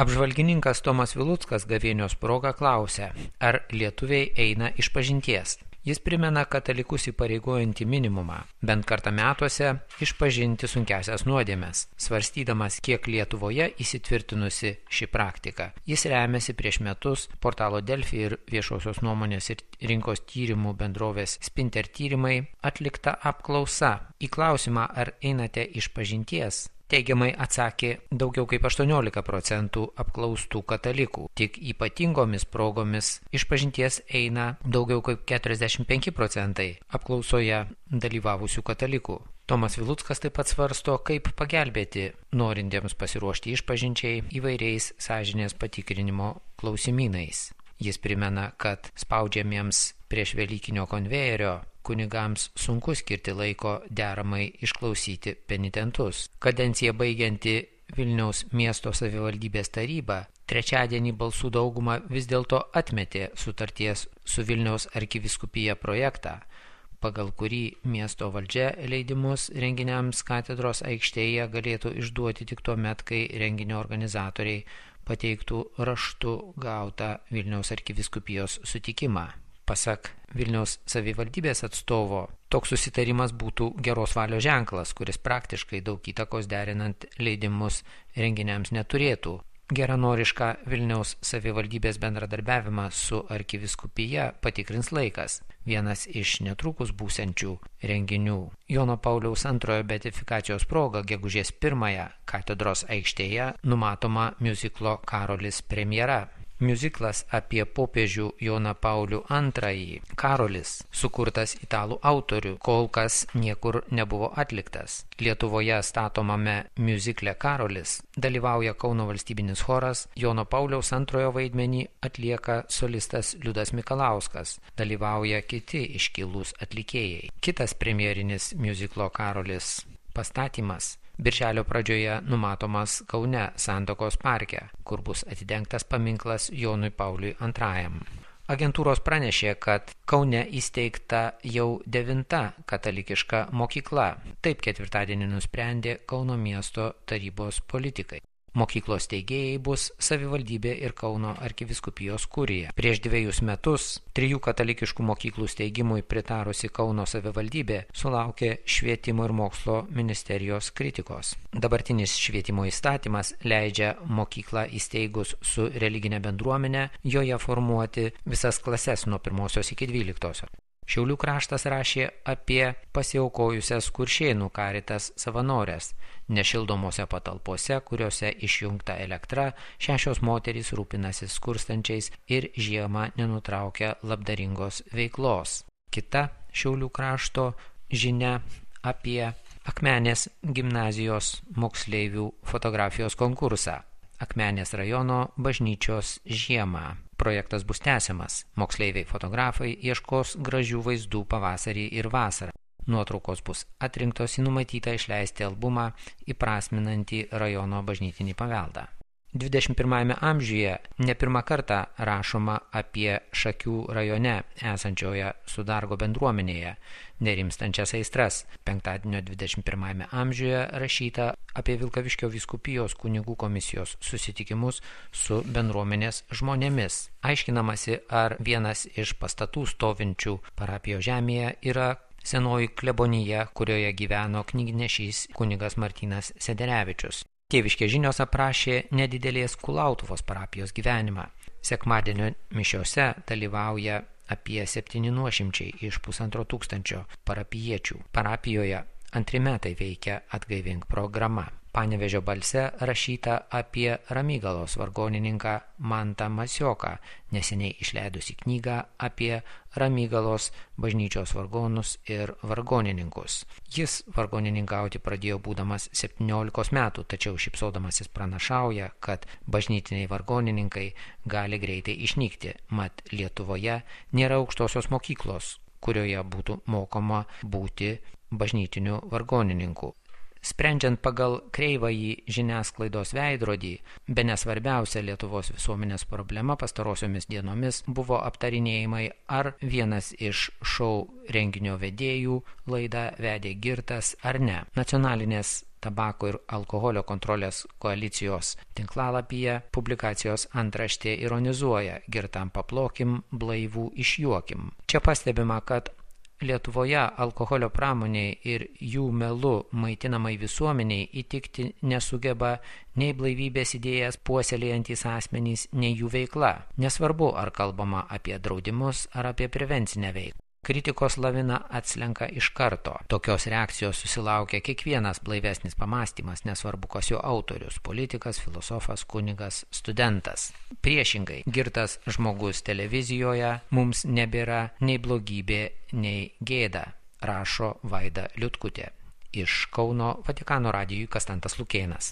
Apžvalgininkas Tomas Viluckas gavėnios proga klausia, ar lietuviai eina išpažinties. Jis primena katalikus įpareigojantį minimumą, bent kartą metuose išpažinti sunkiasias nuodėmes, svarstydamas, kiek Lietuvoje įsitvirtinusi ši praktika. Jis remiasi prieš metus portalo Delfi ir viešosios nuomonės ir rinkos tyrimų bendrovės Spinter tyrimai atlikta apklausa. Į klausimą, ar einate išpažinties, teigiamai atsakė daugiau kaip 18% apklaustų katalikų. Tik ypatingomis progomis išpažinties eina daugiau kaip 45% apklausoje dalyvavusių katalikų. Tomas Viluckas taip pat svarsto, kaip pagelbėti norintiems pasiruošti išpažinčiai įvairiais sąžinės patikrinimo klausimynais. Jis primena, kad spaudžiamiems prieš Velykinio konvejerio kunigams sunku skirti laiko deramai išklausyti penitentus. Kadenciją baigianti Vilniaus miesto savivaldybės taryba trečiadienį balsų daugumą vis dėlto atmetė sutarties su Vilniaus arkivyskupija projektą, pagal kurį miesto valdžia leidimus renginiams katedros aikštėje galėtų išduoti tik tuo met, kai renginio organizatoriai pateiktų raštu gautą Vilniaus arkivyskupijos sutikimą. Pasak Vilniaus savivaldybės atstovo, toks susitarimas būtų geros valios ženklas, kuris praktiškai daug įtakos derinant leidimus renginiams neturėtų. Geranorišką Vilniaus savivaldybės bendradarbiavimą su arkivyskupija patikrins laikas. Vienas iš netrukus būsiančių renginių Jono Pauliaus II beatifikacijos proga gegužės 1 katedros aikštėje numatoma miuziklo Karolis premjera. Miuziklas apie popiežių Joną Paulių II, Karolis, sukurtas italų autorių, kol kas niekur nebuvo atliktas. Lietuvoje statomame miuzikle Karolis dalyvauja Kauno valstybinis choras, Jono Pauliaus II vaidmenį atlieka solistas Liudas Mikalauskas, dalyvauja kiti iškilūs atlikėjai. Kitas premjerinis miuziklo Karolis pastatymas birželio pradžioje numatomas Kaune Santakos parke, kur bus atidengtas paminklas Jonui Pauliui II. Agentūros pranešė, kad Kaune įsteigta jau 9 katalikiška mokykla. Taip ketvirtadienį nusprendė Kauno miesto tarybos politikai. Mokyklos steigėjai bus savivaldybė ir Kauno arkivyskupijos kurija. Prieš 2 metus 3 katalikiškų mokyklų steigimui pritarusi Kauno savivaldybė sulaukė švietimo ir mokslo ministerijos kritikos. Dabartinis švietimo įstatymas leidžia mokyklą įsteigus su religinė bendruomenė joje formuoti visas klases nuo 1 iki 12. Šiaulių kraštas rašė apie pasiaukojusias Kuršėnų Karitas savanorės. Nešildomose patalpose, kuriuose išjungta elektra, 6 moterys rūpinasi skurstančiais ir žiemą nenutraukia labdaringos veiklos. Kita Šiaulių krašto žinia apie Akmenės gimnazijos moksleivių fotografijos konkursą. Akmenės rajono bažnyčios žiemą. Projektas bus tęsiamas. Moksleiviai fotografai ieškos gražių vaizdų pavasarį ir vasarą. Nuotraukos bus atrinktos į numatytą išleisti albumą įprasminantį rajono bažnytinį paveldą. 21 amžiuje ne pirmą kartą rašoma apie Šakių rajone esančioje Sudargo bendruomenėje nerimstančias aistras. Penktadienio 21 amžiuje rašyta apie Vilkaviškio vyskupijos kunigų komisijos susitikimus su bendruomenės žmonėmis. Aiškinamasi, ar vienas iš pastatų stovinčių parapijos žemėje yra senoji klebonija, kurioje gyveno knygnešys kunigas Martynas Sederevičius. Tėviškės žinios aprašė nedidelės Kulautuvos parapijos gyvenimą. Sekmadienio mišiose dalyvauja apie 700 iš 1500 parapijiečių. Parapijoje 2 metai veikia Atgaivink programa. Panevėžio balse rašyta apie Ramygalos vargonininką Mantą Masioką, neseniai išleidusi knygą apie Ramygalos bažnyčios vargonus ir vargonininkus. Jis vargonininkauti pradėjo būdamas 17 metų, tačiau šypsodamasis pranašauja, kad bažnytiniai vargonininkai gali greitai išnykti, mat Lietuvoje nėra aukštosios mokyklos, kurioje būtų mokoma būti bažnytiniu vargonininku. Sprendžiant pagal kreivąjį žiniasklaidos veidrodį, bene svarbiausia Lietuvos visuomenės problema pastarosiomis dienomis buvo aptarinėjimai, ar vienas iš šou renginio vedėjų laidą vedė girtas ar ne. Nacionalinės tabako ir alkoholio kontrolės koalicijos tinklalapyje publikacijos antraštė ironizuoja: girtam paplokim, blaivų išjuokim. Čia pastebima, kad Lietuvoje alkoholio pramoniai ir jų melu maitinamai visuomeniai įtikti nesugeba nei blaivybės idėjas puoselėjantys asmenys, nei jų veikla. Nesvarbu, ar kalbama apie draudimus ar apie prevencinę veiklą. Kritikos lavina atslenka iš karto. Tokios reakcijos susilaukia kiekvienas blaivesnis pamąstymas, nesvarbu, kas jo autorius – politikas, filosofas, kunigas, studentas. Priešingai, girtas žmogus televizijoje mums nebėra nei blogybė, nei gėda, rašo Vaida Liutkutė. Iš Kauno Vatikano radijui Kastantas Lukėnas.